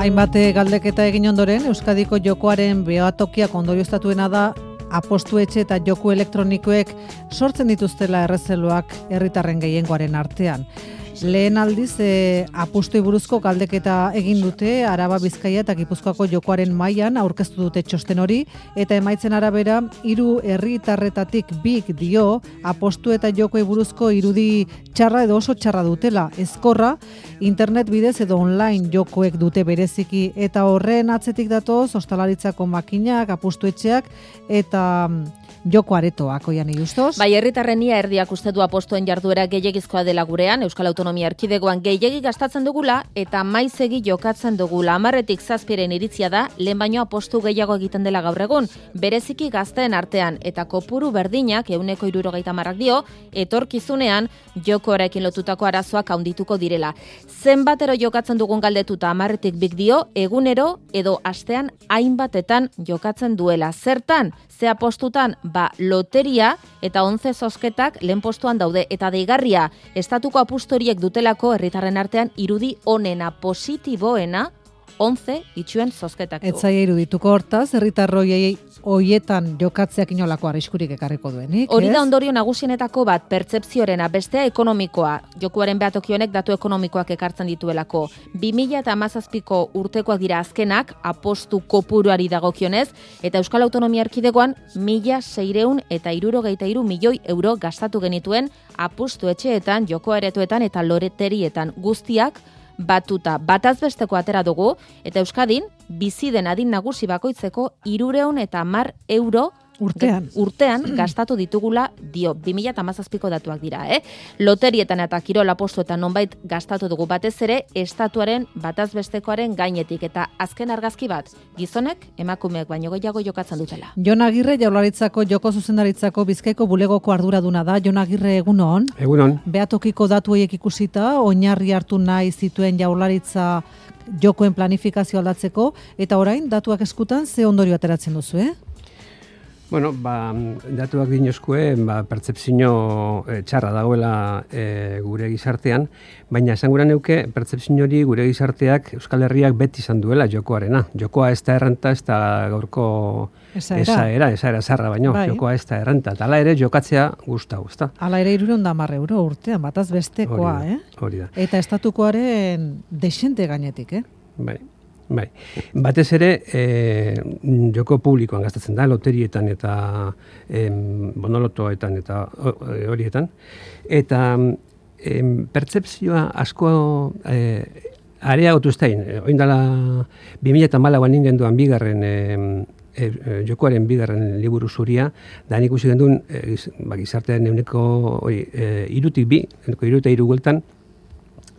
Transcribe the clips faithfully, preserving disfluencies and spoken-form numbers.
Hainbat galdeketa egin ondoren, Euskadiko jokoaren behatokiak ondorioztatuena da apostu etxe eta joku elektronikoek sortzen dituztela errezeloak herritarren gehiengoaren artean. Lehen aldiz, e, apustoi buruzko galdeketa egin dute Araba, Bizkaia eta Gipuzkoako jokoaren mailan aurkeztu dute txosten hori, eta emaitzen arabera, hiru herritarretatik bik dio apostu eta jokoei buruzko irudi txarra edo oso txarra dutela. Ezkorra, internet bidez edo online jokoek dute bereziki, eta horren atzetik datoz, ostalaritzako makinak, apustu etxeak eta joko aretoak, oian irustoz. Bai, herritarren ia erdiak uste du apostuen jarduera gehiegizkoa dela gurean, Euskal Autonomia Erkidegoan gehiegi gastatzen dugula eta maizegi jokatzen dugula. Hamarretik zazpiren iritzia da, lehen baino apostu gehiago egiten dela gaur egun, bereziki gazteen artean, eta kopuru berdinak, ehuneko hirurogeita hamarrak dio, etorkizunean jokoarekin lotutako arazoak handituko direla. Zenbatero jokatzen dugun galdetuta hamarretik bik dio, egunero edo astean hainbatetan jokatzen duela. Zertan? Ze apostutan, ba, loteria eta onze zozketak lehen postuan daude, eta deigarria, estatuko apustoriek dutelako herritarren artean irudi onena, positiboena, onze itxuen zozketak du. Etzaia irudituko hortaz, herritarroi hoietan jokatzeak inolako arriskurik ekarriko duenik. Hori da ondorio nagusienetako bat, pertzepziorena, bestea ekonomikoa. Jokuaren behatokionek datu ekonomikoak ekartzen dituelako. bi mila hamazazpiko urtekoak dira azkenak, apostu kopuruari dagokionez, eta Euskal Autonomia Erkidegoan mila seiehun eta hirurogeita hiru milioi euro gastatu genituen apustu etxeetan, joko aretoetan eta loreterietan guztiak batuta. Batazbesteko atera dugu, eta Euskadin bizi den adin nagusi bakoitzeko hirurehun eta hamar euro urtean, urtean gastatu ditugula dio. bi mila hamazazpiko datuak dira, eh? Loterietan eta kirol apostuetan nonbait gastatu dugu, batez ere estatuaren batazbestekoaren gainetik, eta azken argazki bat, gizonek emakumeek baino gehiago jokatzen dutela. Jon Agirre, Jaurlaritzako joko zuzendaritzako Bizkaiko bulegoko arduraduna da. Jon Agirre, egunon. Egunon. Behatokiko datu horiek ikusita, oinarri hartu nahi zituen Jaurlaritza jokoen planifikazio aldatzeko, eta orain datuak eskutan ze ondorio ateratzen duzu, eh? Bueno, ba, datuak dinozkue, ba, pertzepzio e, txarra dagoela e, gure gizartean, baina esan gura neuke, pertzepzio hori gure gizarteak Euskal Herriak beti izan duela jokoarena. Jokoa ez da errenta, ez da gaurko esaera, esaera zarra baino, bai. Jokoa ez da errenta. Eta hala ere jokatzea gustau, ez da? Hala ere hirurehun eta hamar euro urtean, bataz bestekoa, hori da, eh? Hori da. Eta estatukoaren desente gainetik, eh? Bai. Bai, batez ere e, joko publikoan gastatzen da, loterietan eta e, bonolotoetan eta horietan. Eta e, pertzepzioa asko e, areagotu ez dain. Oin dela bi mila hamalauan ningenduan bigarren e, e, jokoaren bigarren liburu zuria, da nik ikusi genduen e, gizartean euneko e, irutik bi, euneko iruta iru gueltan,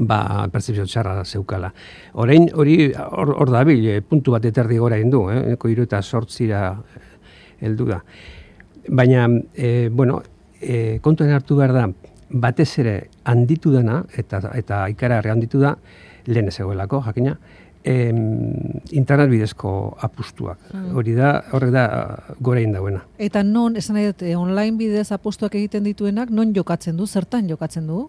ba, pertzepzio txarra zeukala. Orain hori hor, hor dabil, puntu bat eterdi gora indu, eh? Eko hiru eta zortzira heldu da. Baina, e, bueno, e, kontuen hartu behar da, batez ere handitu dana, eta, eta ikaragarri handitu da, lehen ez egoelako, jakina, em, internet bidezko apustuak. Mm. Hori da, horrek da gora indauena. Eta non, esan nahi dut, online bidez apustuak egiten dituenak, non jokatzen du, zertan jokatzen du?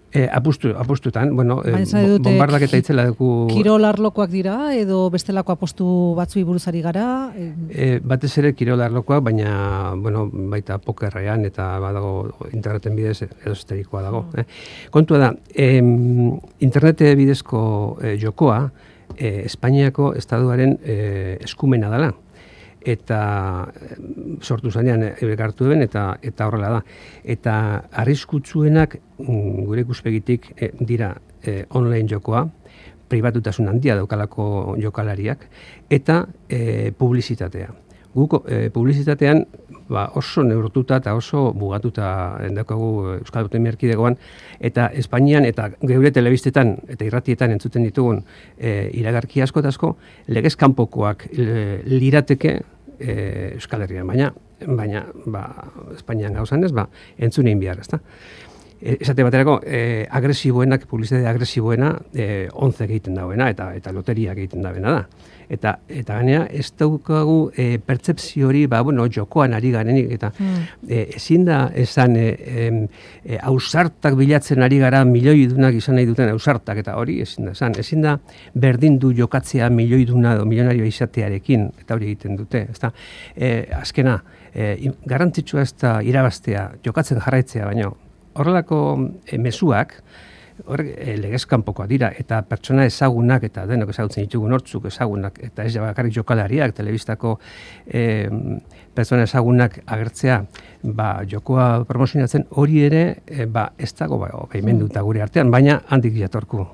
E, apustu, apustutan, bueno, e, bombardak eta itzela dugu... Kirol arlokoak dira, edo bestelako apostu batzui buruzari gara? E, batez ere kirol arlokoak, baina, bueno, baita pokerrean eta badago interneten bidez edo esterikoa dago. Mm. Eh? Kontua da, em, internete bidezko e, jokoa, e, Espainiako estaduaren e, eskumena dela. Eta sortu zanean eurek hartu duen, eta eta horrela da. Eta arriskutsuenak gure ikuspegitik e, dira e, online jokoa, pribatutasun handia daukalako jokalariak, eta e, publizitatea. Guk e, publizitatean ba, oso neurtuta eta oso mugatuta daukagu Euskal Autonomia Erkidegoan, eta Espainian eta geure telebistetan eta irratietan entzuten ditugun e, iragarki asko eta asko, legez kanpokoak e, lirateke e, Euskal Herrian, baina, baina ba, Espainian gauzan ez, ba, entzun egin behar, ezta? esate baterako, e, agresiboenak, publizitate agresiboena, e, onze egiten dauena, eta eta loteria egiten dauena da. Eta, eta gainera, ez daukagu e, pertsepzio hori, ba, bueno, jokoan ari garenik, eta mm. e, ezin da esan e, e, ausartak bilatzen ari gara milioidunak izan nahi duten ausartak, eta hori ezin da esan. Ezin da berdin du jokatzea milioiduna edo milionario izatearekin, eta hori egiten dute. Ezta, e, azkena, e, garrantzitsua ez da irabaztea, jokatzen jarraitzea, baino, horrelako e, mezuak, hor e, legezkanpokoa dira, eta pertsona ezagunak, eta denok ezagutzen ditugu nortzuk ezagunak, eta ez bakarrik jokalariak, telebistako e, pertsona ezagunak agertzea, ba, jokoa promozionatzen hori ere, e, ba, ez dago ba, baimenduta gure artean, baina handik jatorku.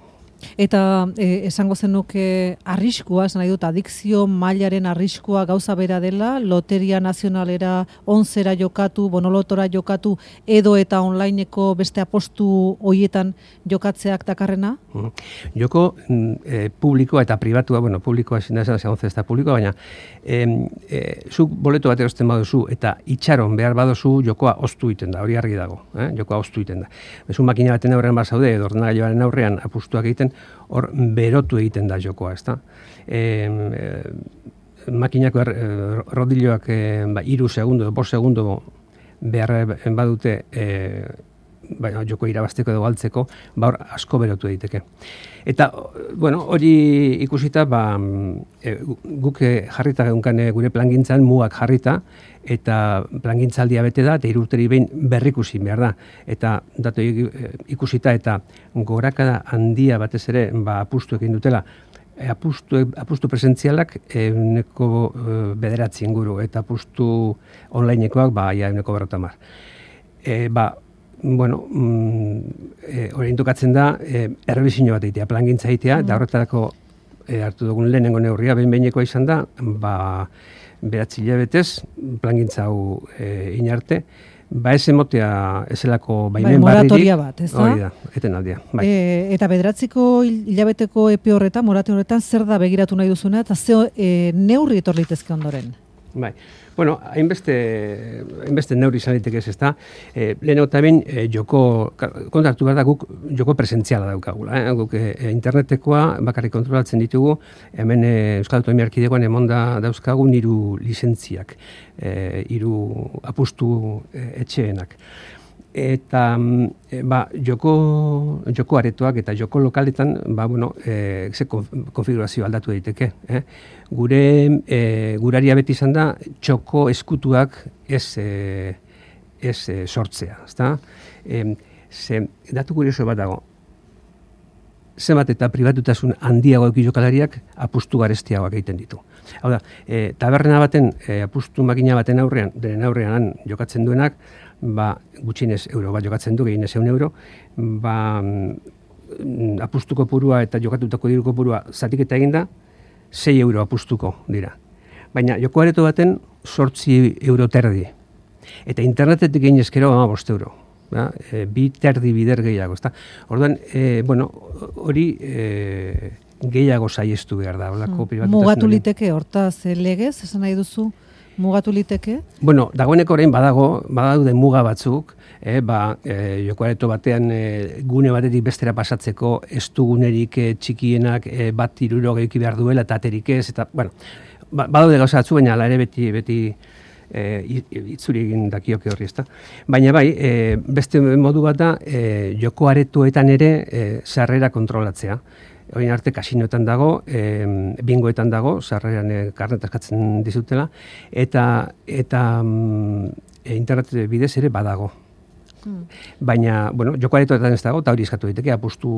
Eta e, esango zenuke arriskua, esan nahi dut, adikzio mailaren arriskua gauza bera dela, loteria nazionalera onzera jokatu, bonolotora jokatu, edo eta onlineko beste apostu hoietan jokatzeak dakarrena? Mm. Joko e, publikoa eta pribatua, bueno, publikoa ezin da esan, ze onze ez da publikoa, baina e, e, zuk boleto bat erosten baduzu eta itxaron behar baduzu jokoa oztu iten da, hori argi dago, eh? Jokoa oztu iten da. Bezu makina baten aurrean bat zaude, edo ordenagailuaren aurrean apustuak egiten, hor berotu egiten da jokoa, ezta? E, e, makinako er, e, rodilloak e, ba, iru segundo, bost segundo behar badute e, ba, joko irabazteko edo galtzeko, ba hor asko berotu egiteke. Eta, bueno, hori ikusita, ba, e, guk jarrita geunkan gure plangintzan, mugak jarrita, eta plangintzaldia bete da, eta irurteri behin berrikusi behar da. Eta datu ikusita eta gorakada handia batez ere ba, apustu egin dutela, apustu, apustu presentzialak euneko bederatzi inguru, eta apustu onlinekoak ba, ja euneko berrotamar. E, ba, bueno, mm, orain tokatzen da, e, errebizio bat egitea, plangintza egitea, mm. eta horretarako e, hartu dugun lehenengo neurria, behin-behinekoa izan da, ba, beratzi hilabetez, plangintza hau e, inarte, ba ez emotea ezelako baimen bai, barririk. Moratoria bat, ez da? Hori da, eten aldia. Bai. E, eta bederatziko hilabeteko epe horretan, morate horretan, zer da begiratu nahi duzuna, eta ze e, neurri etorlitezke ondoren? Bai. Bueno, hainbeste, hainbeste neurri izan liteke ez, ezta. E, Lehenago eta behin, e, joko, kontartu behar da guk joko presentziala daukagula. Eh? Guk e, internetekoa bakarrik kontrolatzen ditugu, hemen e, Euskal Autonomia Erkidegoan emonda dauzkagu hiru lizentziak, e, hiru apustu e, etxeenak. Eta ba, joko, joko aretoak eta joko lokaletan ba, bueno, e, ze konfigurazio aldatu daiteke. Eh? Gure e, guraria beti izan da txoko eskutuak ez, e, ez e, sortzea. Ezta? E, ze, datu kurioso bat dago. Zenbat eta pribatutasun handiago eki jokalariak apustu garestiagoak egiten ditu. Hau da, e, taberna baten, e, apustu makina baten aurrean, denen aurrean jokatzen duenak, ba, gutxinez euro bat jokatzen du, gehienez eun euro, ba, apustuko purua eta jokatutako diruko purua zatiketa eginda, sei euro apustuko dira. Baina joko areto baten sortzi euro terdi. Eta internetetik gehienezkero ama bost euro. Da? E, bi terdi bider gehiago. Ezta? Orduan, e, bueno, hori e, gehiago saiestu behar da. Hmm. Mugatu liteke, hortaz, legez, esan nahi duzu? Mugatu liteke? Bueno, dagoeneko orain badago, badaude muga batzuk, eh, ba, e, joko areto batean e, gune batetik bestera pasatzeko ez dugunerik e, txikienak e, bat hiruro gehiki behar duela eta aterik ez, eta, bueno, ba, badaude gauza batzu, baina ala ere beti, beti e, itzuri egin dakioke horri, ezta. Baina bai, e, beste modu bat da, e, joko aretoetan ere e, sarrera kontrolatzea. Orain arte kasinoetan dago, e, bingoetan dago, sarreran e, karnet askatzen dizutela, eta, eta mm, e, internet bidez ere badago. Hmm. Baina, bueno, joko aretoetan ez dago, eta hori eskatu daiteke, apustu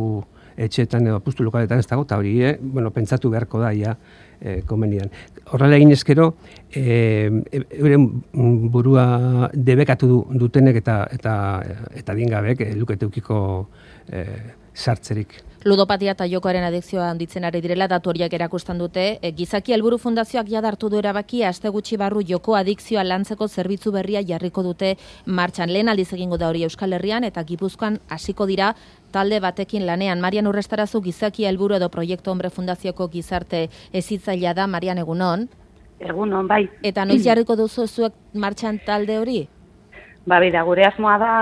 etxeetan edo apustu lokaletan ez dago, eta hori, e, bueno, pentsatu beharko da, ja, e, komenian. Horrela egin ezkero, e, euren burua debekatu dutenek eta, eta, eta dingabek, e, luketeukiko e, sartzerik. Ludopatia eta jokoaren adikzioa handitzen ari direla datu horiek erakusten dute. E, Gizaki Helburu Fundazioak jadartu du erabaki aste gutxi barru joko adikzioa lantzeko zerbitzu berria jarriko dute martxan. Lehen aldiz egingo da hori Euskal Herrian eta Gipuzkoan hasiko dira talde batekin lanean. Marian Urrestarazu Gizaki Helburu edo Proiektu Hombre Fundazioko gizarte hezitzailea da. Marian, egunon. Egunon, bai. Eta noiz jarriko duzu zuek martxan talde hori? Ba, bera, gure asmoa da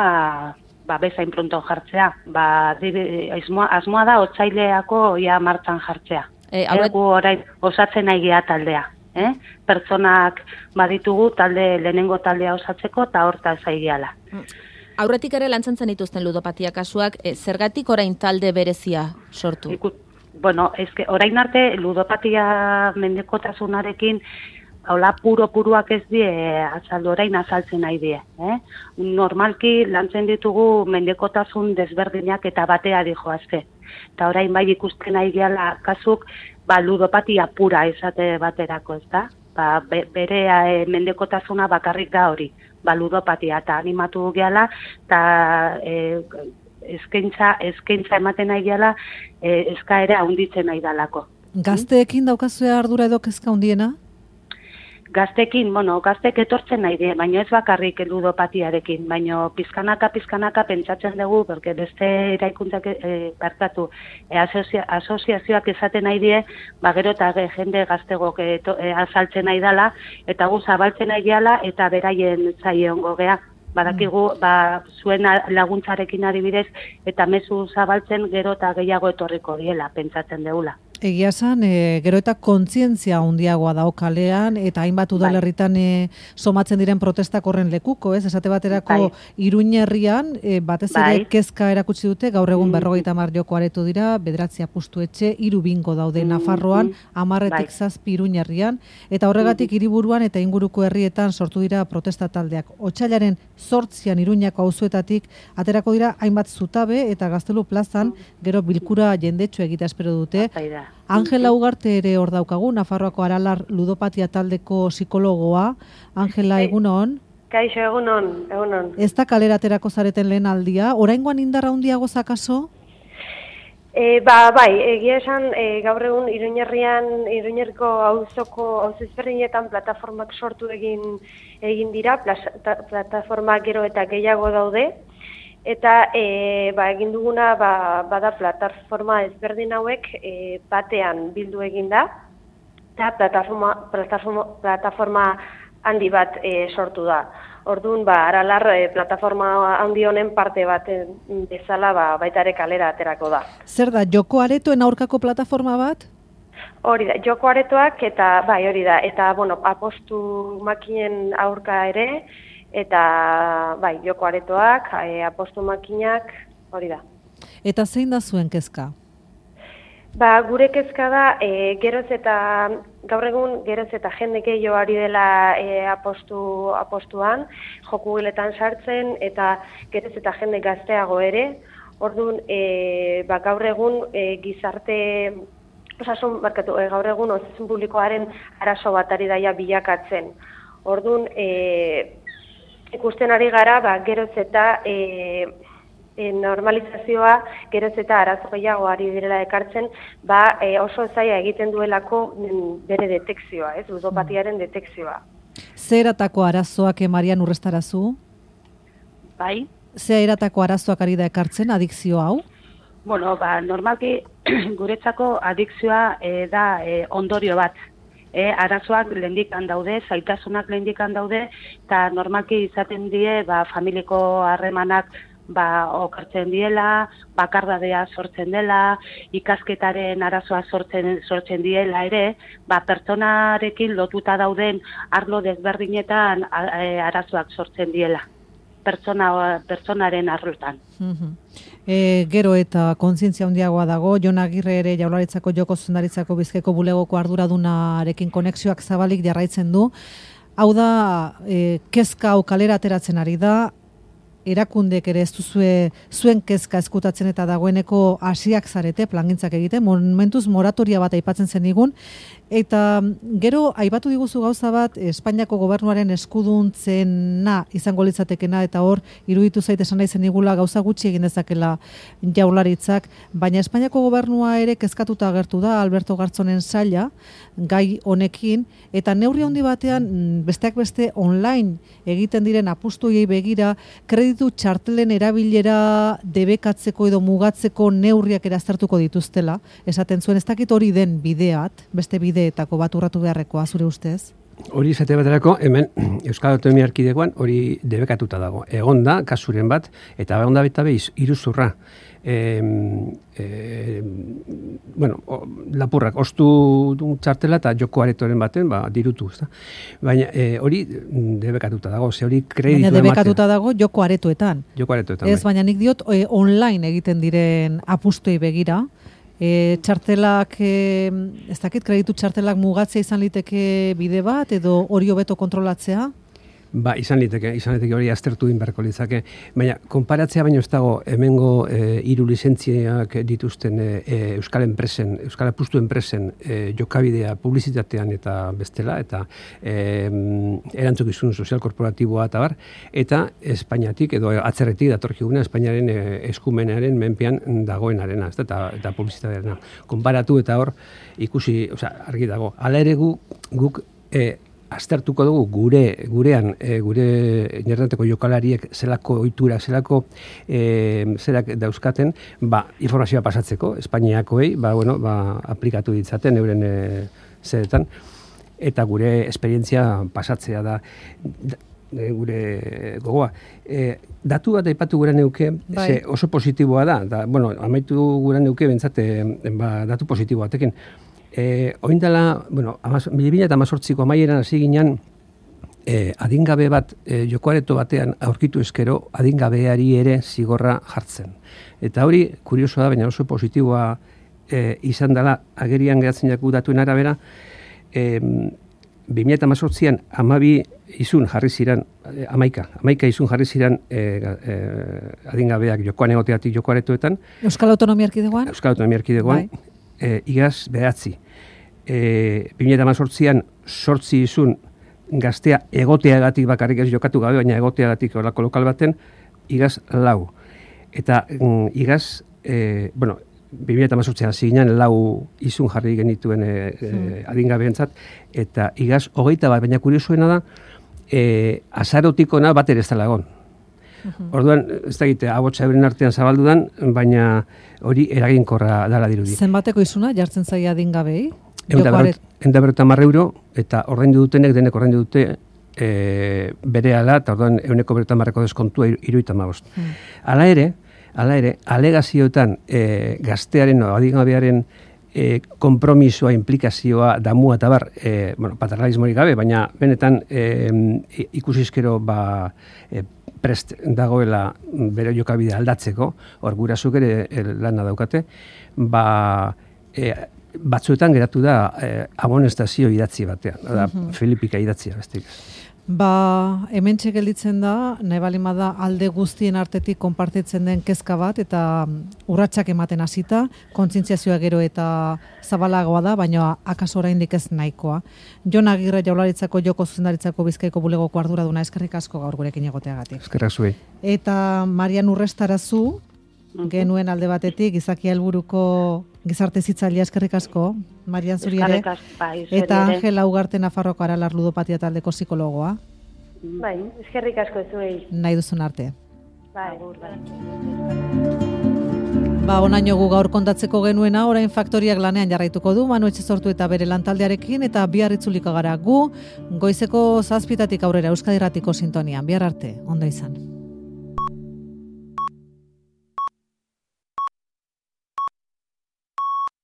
ba, bezain pronto jartzea. Ba, asmoa, asmoa da otsaileako ia martxan jartzea. E, aurret... Egu orain osatzen nahi gea taldea. Eh? Pertsonak baditugu talde lehenengo taldea osatzeko eta horta zaigeala. Aurretik ere lantzen zen dituzten ludopatia kasuak, e, zergatik orain talde berezia sortu? Iku, bueno, eske, orain arte ludopatia mendekotasunarekin hola puro-puruak ez die azaldu orain azaltzen nahi die. Eh? Normalki lantzen ditugu mendekotasun desberdinak eta batea dijoazte. Eta orain bai ikusten nahi gehala kasuk ba, ludopatia pura esate baterako, ez da? Ba, be, bere e, mendekotasuna bakarrik da hori, ba, ludopatia, eta animatu gehala, eta e, eskaintza, eskaintza ematen nahi gehala, e, eskaera handitzen nahi dalako. Gazteekin daukazue ardura edo kezka handiena? Gaztekin, bueno, gaztek etortzen nahi die, baina ez bakarrik ludopatiarekin, baina pizkanaka, pizkanaka pentsatzen dugu, porque beste eraikuntzak e, barkatu, e, asocia, asoziazioak esaten nahi die, ba gero eta jende gaztegok e, e, azaltzen nahi dala, eta gu zabaltzen nahi gehala, eta beraien zaie ongo gea. Badakigu, ba, zuen laguntzarekin adibidez, eta mezu zabaltzen gero eta gehiago etorriko diela, pentsatzen deula. Egia esan, e, gero eta kontzientzia handiagoa dao kalean, eta hainbat udalerritan e, somatzen diren protestak horren lekuko, ez? Esate baterako bai. Iruña herrian, e, batez ere bai. Kezka erakutsi dute, gaur egun mm. berrogeita hamar joko aretu dira, bederatzi apustu etxe, hiru bingo daude mm. Nafarroan, hamarretik bai. Zazpi Iruña herrian, eta horregatik hiriburuan eta inguruko herrietan sortu dira protesta taldeak. Otsailaren zortzian Iruñako auzoetatik aterako dira hainbat zutabe eta Gaztelu plazan gero bilkura jendetsu egitea espero dute. Angela Ugarte ere hor daukagu, Nafarroako Aralar ludopatia taldeko psikologoa. Angela, egunon? Kaixo, egunon, egunon. Ez da kalera aterako zareten lehen aldia, oraingoan indarra handiago zakaso? E, ba, bai, egia esan, e, gaur egun Iruñerrian, Iruñerriko auzoko auzezberdinetan plataformak sortu egin egin dira, plata, plataformak gero eta gehiago daude, eta e, ba, egin duguna ba, bada plataforma ezberdin hauek e, batean bildu egin da, eta plataforma, plataforma, plataforma handi bat e, sortu da. Orduan, ba, Aralar e, plataforma handi honen parte bat bezala ba, baita ere kalera aterako da. Zer da, joko aretoen aurkako plataforma bat? Hori da, joko aretoak eta bai hori da, eta bueno, apostu makinen aurka ere, eta bai, joko aretoak, e, apostu makinak, hori da. Eta zein da zuen kezka? Ba, gure kezka da, e, geroz eta, gaur egun, geroz eta jende gehiago ari dela e, apostu, apostuan, joku giletan sartzen, eta geroz eta jende gazteago ere. Orduan, e, ba, gaur egun e, gizarte, osasun, barkatu, e, gaur egun osasun publikoaren arazo bat ari daia bilakatzen. Orduan, e, ikusten ari gara, ba, geroz eta e, e, normalizazioa, geroz eta arazo gehiago ari direla ekartzen, ba, e, oso zaila egiten duelako bere detekzioa, ez, ludopatiaren detekzioa. Zer eratako arazoak emarian urrestarazu? Bai. Zer eratako arazoak ari da ekartzen, adikzio hau? Bueno, ba, normalki guretzako adikzioa e, da e, ondorio bat. E, arazoak lehendikan daude, zaitasunak lehendikan daude, eta normalki izaten die ba, familiko harremanak ba, okartzen diela, bakardadea sortzen dela, ikasketaren arazoa sortzen, sortzen diela ere, ba, pertsonarekin lotuta dauden arlo desberdinetan e, arazoak sortzen diela. Pertsona, pertsonaren arlotan. Uh-huh. E, gero eta kontzientzia handiagoa dago, Jon Agirre ere Jaurlaritzako joko zuzendaritzako Bizkaiko bulegoko arduradunarekin konexioak zabalik jarraitzen du. Hau da, e, kezka hau kalera ateratzen ari da, erakundek ere ez duzue zuen kezka eskutatzen eta dagoeneko hasiak zarete plangintzak egiten, momentuz moratoria bat aipatzen zenigun, eta gero aipatu diguzu gauza bat Espainiako gobernuaren eskuduntzena izango litzatekena, eta hor iruditu zait esan nahi zenigula gauza gutxi egin dezakela Jaurlaritzak, baina Espainiako gobernua ere kezkatuta agertu da Alberto Gartzonen saila gai honekin, eta neurri handi batean besteak beste online egiten diren apustuei begira kreditu txartelen erabilera debekatzeko edo mugatzeko neurriak eraztertuko dituztela. Esaten zuen, ez dakit hori den bideat, beste bideetako bat urratu beharrekoa, zure ustez? hori izate baterako, hemen Euskal Autonomia Erkidegoan hori debekatuta dago. Egon da, kasuren bat, eta egon da beta behiz, iruzurra. E, e, bueno, o, lapurrak, ostu txartela eta joko aretoren baten, ba, dirutu, ezta? Baina e, hori debekatuta dago, ze hori kreditu ematea. Baina debekatuta dago joko aretoetan. Joko aretoetan, ez, baina nik diot, e, online egiten diren apustuei begira, E, txartelak, e, ez dakit, kreditu txartelak mugatzea izan liteke bide bat, edo hori hobeto kontrolatzea? Ba, izan liteke, izan liteke hori aztertu din beharko litzake. Baina, konparatzea baino ez dago, hemengo e, hiru lizentziak dituzten e, Euskal enpresen, Euskal apustu enpresen e, jokabidea publizitatean eta bestela, eta e, erantzukizun sozial korporatiboa eta bar, eta Espainiatik, edo atzerretik datorkiguna Espainiaren e, eskumenaren menpean dagoenarena, ez da, eta, eta publizitatearena. Konparatu eta hor, ikusi, osea, argi dago. Hala ere gu, guk e, aztertuko dugu gure gurean e, gure interneteko jokalariek zelako ohitura, zelako e, zerak dauzkaten, ba, informazioa pasatzeko Espainiakoei, ba, bueno, ba, aplikatu ditzaten euren e, zeretan, eta gure esperientzia pasatzea da, da e, gure gogoa. E, datu bat aipatu gure neuke, bai. Ze oso positiboa da, da, bueno, amaitu gure neuke bentsate, ba, datu positiboatekin. E, oindala, bueno, bi mila hemezortziko amaieran hasi ginen e, adingabe bat e, jokoareto batean aurkitu eskero adingabeari ere zigorra jartzen. Eta hori, kuriosoa da, baina oso positiboa e, izan dela agerian geratzen jaku datuen arabera, e, bi mila hemezortzian amabi izun jarri ziren, e, amaika, amaika izun jarri ziren e, e, adingabeak jokoan egoteatik jokoaretoetan. Euskal Autonomia Erkidegoan? Euskal Autonomia Erkidegoan, bai. e, igaz behatzi. E, bi mila hemezortzian sortzi izun gaztea egoteagatik bakarrik ez jokatu gabe, baina egoteagatik horako lokal baten, igaz lau. Eta mm, igaz, e, bueno, bi mila hemezortzian hasi ginen lau izun jarri genituen e, e, adingabeentzat, eta igaz hogeita bat, baina kuriosuena da, e, azarotikona bat ere ez dela egon. Orduan, ez da egite, abotsa euren artean zabaldudan, baina hori eraginkorra dala dirudi. Zenbateko izuna jartzen zaia adingabei? Enda berreta marre euro, eta ordaindu dutenek, denek ordaindu dute e, bere ala, eta orduan euneko berreta marreko deskontua iruita magost. Hmm. Hala ere, hala ere, alegazioetan e, gaztearen, o, adingabearen e, kompromisoa, implikazioa, damua eta bar, e, bueno, paternalismorik gabe, baina benetan e, ikusizkero ba, e, prest dagoela bere jokabidea aldatzeko, hor gurasuk ere lana daukate, ba, e, batzuetan geratu da eh, amonestazio idatzi batean, da, uh-huh. Filipika idatzia bestik. Ba, hementxe gelditzen da, nahi balima da alde guztien artetik konpartitzen den kezka bat, eta urratsak ematen hasita, kontzientziazioa gero eta zabalagoa da, baina akaso oraindik ez nahikoa. Jon Agirre Jaurlaritzako joko zuzendaritzako Bizkaiko bulegoko arduraduna, eskerrik asko gaur gurekin egoteagatik. Eskerrak zuei. Eta Marian Urrestarazu, genuen alde batetik, Gizaki Helburuko gizarte zitzailea, eskerrik asko, Marian zuri ere, eta Angela Ugarte Nafarroko Aralar ludopatia taldeko psikologoa. Bai, eskerrik asko zuei. Nahi duzun arte. Bai, bai. Ba, onaino gu gaur kontatzeko genuena, orain faktoriak lanean jarraituko du, Manu Etxezortu eta bere lantaldearekin, eta bihar itzuliko gara gu, goizeko zazpitatik aurrera Euskadi Irratiko sintonian, bihar arte, ondo izan.